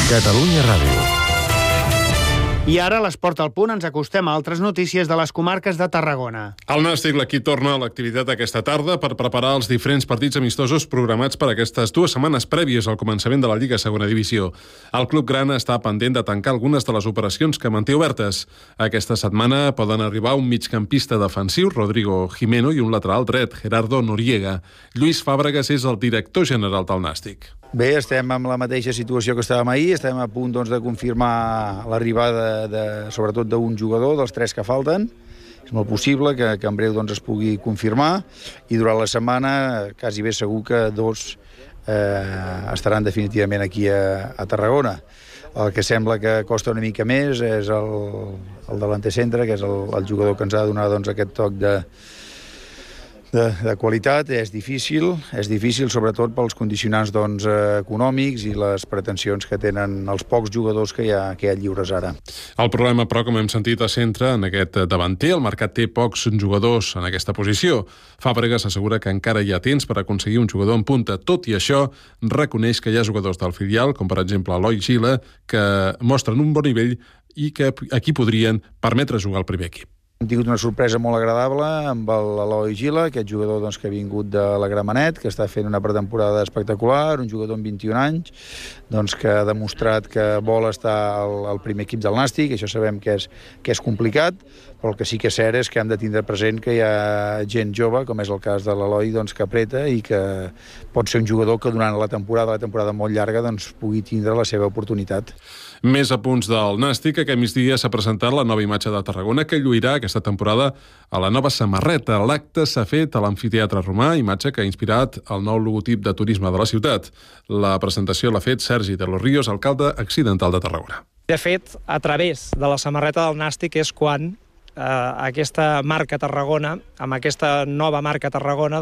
Catalunya Ràdio. I ara, a l'Esport al Punt, ens acostem a altres notícies de les comarques de Tarragona. El Nàstic, l'equip, torna a l'activitat aquesta tarda per preparar els diferents partits amistosos programats per aquestes 2 setmanes prèvies al començament de la Lliga Segona Divisió. El club grana està pendent de tancar algunes de les operacions que manté obertes. Aquesta setmana poden arribar un migcampista defensiu, Rodrigo Jimeno, i un lateral dret, Gerardo Noriega. Lluís Fàbregas és el director general del Nàstic. Bé, estem en la mateixa situació que estàvem ahir, estem a punt de confirmar l'arribada sobretot d'un jugador, dels 3 que falten. És molt possible que en breu es pugui confirmar, i durant la setmana quasi bé segur que 2 estaran definitivament aquí a Tarragona. El que sembla que costa una mica més és el delanter centre, que és el jugador que ens ha de donar aquest toc de qualitat. És difícil sobretot pels condicionants econòmics i les pretensions que tenen els pocs jugadors que hi ha lliures ara. El problema, però, com hem sentit, es centra en aquest davanter. El mercat té pocs jugadors en aquesta posició. Fàbregas assegura que encara hi ha temps per aconseguir un jugador en punta. Tot i això, reconeix que hi ha jugadors del filial, com per exemple Eloi Gila, que mostren un bon nivell i que aquí podrien permetre jugar al primer equip. Hem tingut una sorpresa molt agradable amb l'Eloi Gila, aquest jugador que ha vingut de la Gramenet, que està fent una pretemporada espectacular, un jugador amb 21 anys, que ha demostrat que vol estar al primer equip del Nàstic. Això sabem que és complicat, però el que sí que és cert és que hem de tindre present que hi ha gent jove, com és el cas de l'Eloi, que apreta i que pot ser un jugador que durant la temporada molt llarga, pugui tindre la seva oportunitat. Més apunts del Nàstic. Aquest migdia s'ha presentat la nova imatge de Tarragona, que lluirà aquesta temporada a la nova samarreta. L'acte s'ha fet a l'Amfiteatre Romà, imatge que ha inspirat el nou logotip de turisme de la ciutat. La presentació l'ha fet Sergi de los Ríos, alcalde accidental de Tarragona. De fet, a través de la samarreta del Nàstic és quan aquesta marca Tarragona, amb aquesta nova marca Tarragona,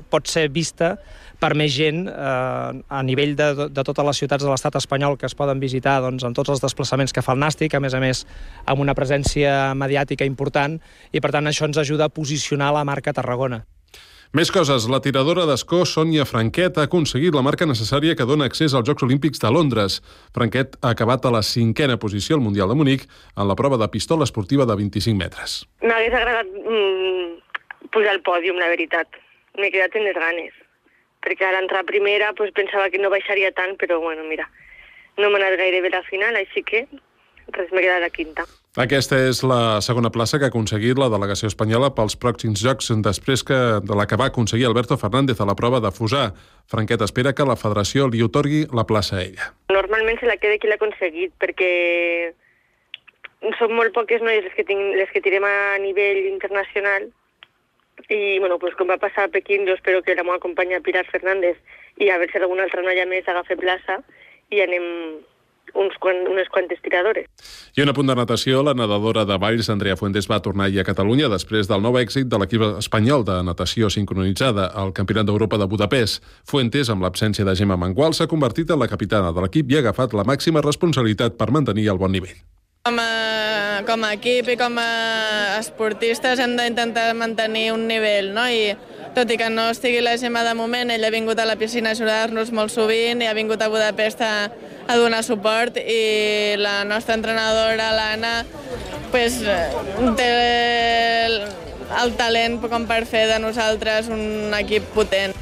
pot ser vista per més gent a nivell de totes les ciutats de l'estat espanyol que es poden visitar en tots els desplaçaments que fa el Nàstic, a més amb una presència mediàtica important, i per tant això ens ajuda a posicionar la marca Tarragona. Més coses. La tiradora d'escó Sònia Franquet ha aconseguit la marca necessària que dona accés als Jocs Olímpics de Londres. Franquet ha acabat a la 5a posició al Mundial de Munic en la prova de pistola esportiva de 25 metres. M'hagués agradat pujar al pòdium, la veritat. M'he quedat en les ganes, perquè a l'entrar primera pensava que no baixaria tant, però bueno, mira, no m'ha anat gaire bé la final, així que m'he quedat a 5a. Aquesta és la segona plaça que ha aconseguit la delegació espanyola pels pròxims Jocs, després de la que va aconseguir Alberto Fernández a la prova de fusar. Franquet espera que la federació li otorgui la plaça a ella. Normalment se la queda qui l'ha aconseguit, perquè són molt poques noies les que tirem a nivell internacional, i com va passar a Pequín, jo espero que la meva companya Pilar Fernández i a veure si alguna altra noia més agafa plaça i anem unes quantes tiradores. I un apunt de natació. La nedadora de Valls, Andrea Fuentes, va tornar ahir a Catalunya després del nou èxit de l'equip espanyol de natació sincronitzada al Campionat d'Europa de Budapest. Fuentes, amb l'absència de Gemma Mangual, s'ha convertit en la capitana de l'equip i ha agafat la màxima responsabilitat per mantenir el bon nivell. Com a equip i com a esportistes hem d'intentar mantenir un nivell, no? I tot i que no estigui la Gemma de moment, ella ha vingut a la piscina a ajudar-nos molt sovint i ha vingut a Budapest a donar suport, i la nostra entrenadora, l'Anna, té el talent com per fer de nosaltres un equip potent.